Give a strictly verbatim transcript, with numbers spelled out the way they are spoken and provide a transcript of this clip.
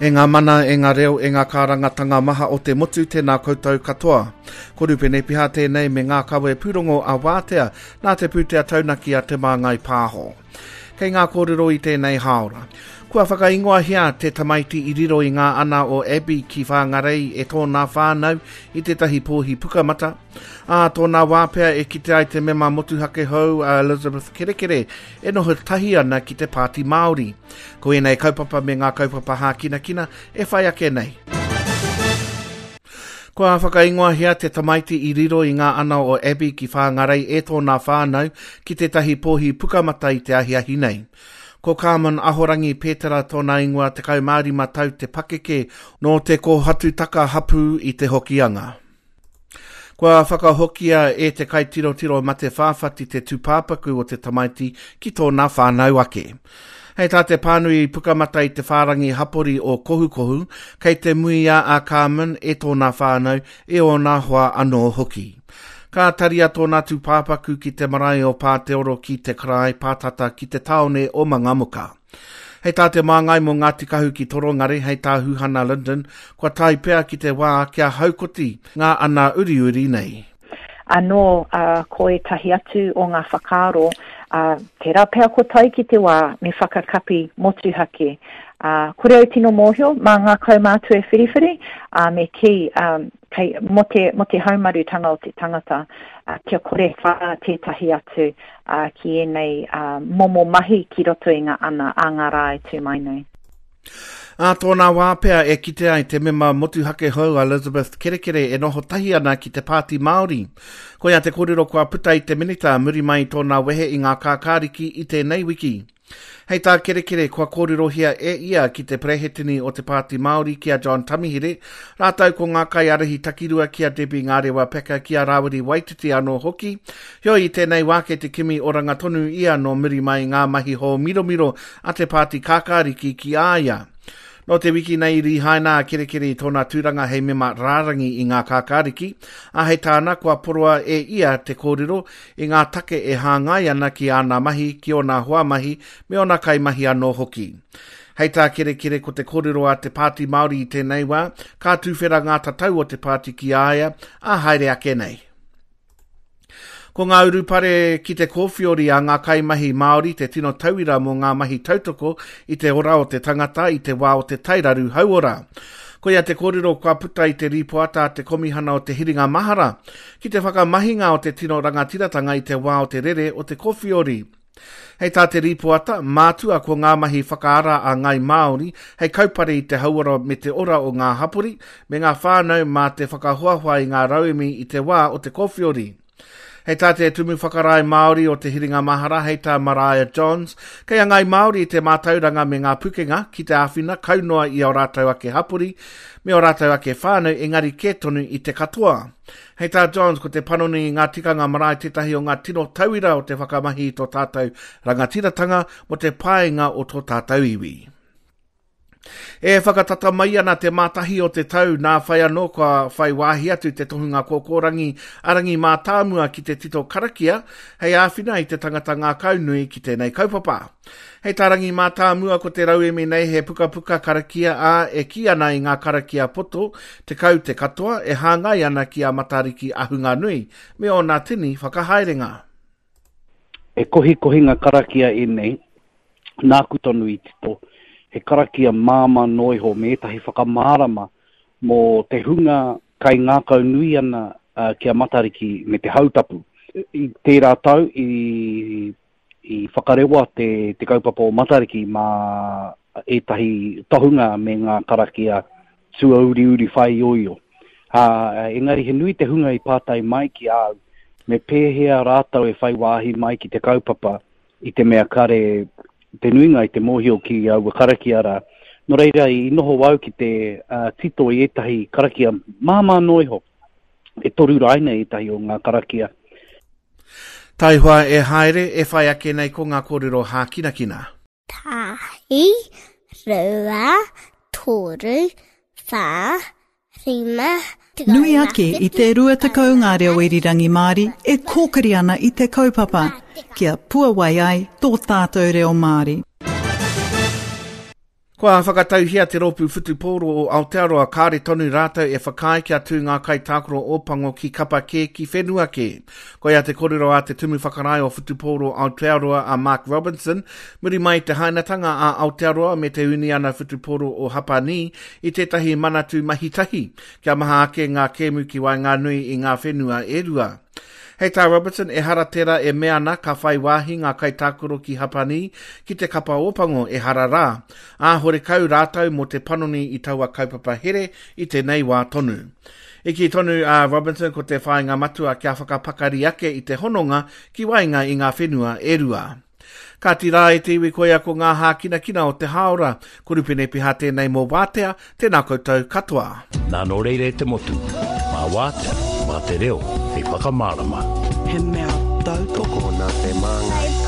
E ngā mana, e ngā reo, e ngā kārangatanga maha o te motu, tēnā koutou katoa. Ko Rupene Piha tēnei me ngā kawe pūrongo a Wātea, nā te pūtea taunaki a Te Māngai Pāho. Kei ngā kōrero i tēnei hāora. Kua whakaingoahia te tamaiti i riro i ngā ana o Abbey ki Whangarei e tōna whānau i tētahi pōhi pukamata. Ā tōna wā pea e kite ai te mema motuhake hou a Elizabeth Kerekere e noho tahi ana ki te Pāti Māori. Ko ēnei kaupapa me ngā kaupapa hākinakina e whai ake nei. Kua whakaingoahia te tamaiti i riro i ngā ana o Abbey ki Whangarei e tōna whānau ki tētahi pōhi pukamata i te ahiahi nei. Ko Carmen Ahorangi Petera tōna ingoa tekau mā rima tau te pakeke nō te kōhatutaka hapū i te Hokianga. Kua whakahokia e te kaitirotiro mate whāwhati te tūpāpaku o te tamaiti ki tōna whānau ake. Hei tā te pānui pukamata i te whārangi hapori o Kohukohu, kei te muia a Carmen e tōna whānau, e ōna hoa anō hoki. Ka taria tōna tūpāpaku ki te marae o Pāteoro ki te karae pātata ki te tāone o Mangamuka. Hei tā te māngai mō Ngāti Kahu ki Torongare, hei tā Huhana Linden, kua tae pea ki te wā kia haukoti ngā ana uriuri nei. Anō, uh, ko ētahi atu o ngā whakaaro, uh, tērā pea ko tae ki te wā me whakakapi motuhake. Uh, kore au tino mōhio, mā ngā kaumātua e whiriwhiri, uh, me kī, um, kei, mō te, mō te haumarutanga o te tangata, uh, kia kore whā tētahi atu uh, ki ēnei uh, momo mahi ki roto i ngā ana a ngā rā e tū mai nei. Ā tōna wā pea e kite ai te mema motuhake hou a Elizabeth Kerekere e noho tahi ana ki te Pāti Māori. Koia te kōrero kua puta i te minita muri mai i tōna wehe i ngā kākāriki i tēnei wiki. Hei tā Kerekere kua kōrerohia e ia ki te perehetini o te Pāti Māori ki a John Tamihere, rātou ko ngā kaiārahi takirua ki a Debbie Ngārewa Packer ki a Rāwiri Waititi anō hoki. Heoi i tēnei wā kei te kimi oranga tonu ia nō muri mai ngā mahi hōmiromiro a te Pāti Kākāriki ki a ia. Nō te wiki nei i rīhaina a Kerekere i tōna tūranga hei mema rārangi i ngā kākāriki, ā hei tāna kua poroa e ia te kōrero i ngā take e hāngai ana ki āna mahi, ki ōna hoa mahi, me ōna kaimahi anō hoki. Hei tā Kerekere ko te kōrero a te Pāti Māori i tēnei wā, ka tuwhera ngā tatau o te pāti ki a ia, ā haere ake nei. Ko ngā urupare ki te kōwhiori a ngā kaimahi Māori te tino tauira mō ngā mahi tautoko i te ora o te tangata i te wā o te tairaru hauora. Koia te kōrero kua puta i te rīpoata a te Komihana o te Hiringa Mahara ki te whakamahinga o te tino rangatiratanga i te wā o te rere o te kōwhiori. Hei tā te rīpoata, mātua ko ngā mahi whakaara a Ngāi Māori hei kaupare i te hauora me te ora o ngā hapori me ngā whānau mā te whakahoahoa i ngā rauemi i te wā o te kōwhiori. Hei tā te Tumu Whakarae Māori o te Hiringa Mahara, hei tā Mariah Johns, kei a Ngāi Māori te mātauranga me ngā pukenga ki te āwhina kaunoa i ō rātou ake hapori me ō rātou ake whānau engari kē tonu i te katoa. Hei tā Johns, ko te panoni i ngā tikanga marae tētahi o ngā tino tauira o te whakamahi i tō tātou rangatiratanga mō te painga o tō tātou iwi. E whakatata mai ana te mātahi o te tau nā whai anō kua whai wāhi atu te tohunga kōkōrangi a Rangi Mātāmua ki te tito karakia hei āwhina i te tangata ngākaunui ki tēnei kaupapa. Hei tā Rangi Mātāmua ko te rauemi nei he pukapuka karakia ā e kī ana i ngā karakia poto tekau te katoa e hāngai ana ki a Matariki Ahunganui me ōna tini whakahaerenga. E kohikohinga karakia ēnei, nāku tonu i tito, he karakia māmā noa iho me ētahi whakamārama mō te hunga kai ngākau nui ana uh, ki a Matariki me te hautapu. I tērā tau i, i whakarewa te, te kaupapa o Matariki mā ētahi tohunga me ngā karakia tuauriuri whaioio. Uh, engari he nui te hunga i pātai mai ki au, me pēhea rātou e whai wāhi mai ki te kaupapa i te mea kare te nuinga i te mōhio ki aua karakia rā. Nō reira, i noho au ki te uh, tito i ētahi karakia māmā noa iho, e toru raina ētahi o ngā karakia. Taihoa e haere, e whai ake nei ko ngā kōrero hākinakina. Tahi, rua, toru, whā, rima, Nui ake i te rua tekau ngā reo irirangi Māori e kōkiri ana i te kaupapa, kia puawai ai tō tātou reo Māori. Kua whakatauhia te rōpū whutupōro o Aotearoa kāre tonu rātou e whakaae kia tū ngā kaitākaro Ōpango ki kapa kē ki whenua kē. Koia te kōrero a te Tumu Whakarae o Whutupōro Aotearoa a Mark Robinson, muri mai i te hainatanga a Aotearoa me te Uniana Whutupōro o Hapanī i tētahi manatū mahi tahi, kia maha ake ngā kēmu ki waenganui i ngā whenua e rua. Hei tā Robertson, ehara tērā e mea ana ka whai wāhi ngā kaitākaro ki Hapanī ki te kapa Ōpango ehara rā. Ā, horekau rātou mō te panoni i taua kaupapa here i tēnei wā tonu. I kī tonu a Robinson ko te whāinga matua kia whakapakari ake i te hononga ki waenga i ngā whenua e rua. Kāti rā e te iwi koia ko ngā hākinakina o te hāora. Ko Rupene Piha tēnei mō Wātea, tēnā koutou katoa. Nā nō reira e te motu, mā Wātea, mā te reo, hei whakamārama. He mea tautoko Nā te Māngai.